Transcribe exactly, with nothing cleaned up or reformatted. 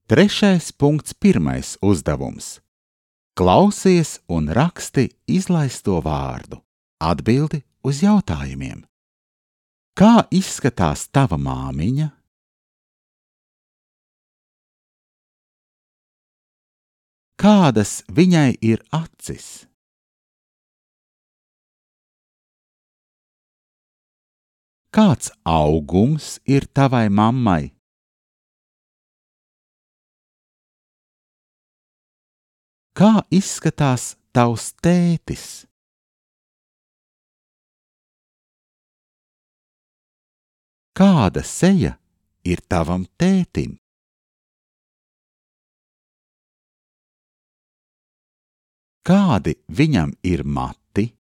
Trešais punkts pirmais uzdevums. Klausies un raksti izlaisto vārdu. Atbildi uz jautājumiem. Kā izskatās tava māmiņa? Kādas viņai ir acis? Kāds augums ir tavai mammai? Kā izskatās tavs tētis? Kāda seja ir tavam tētim? Kādi viņam ir mati?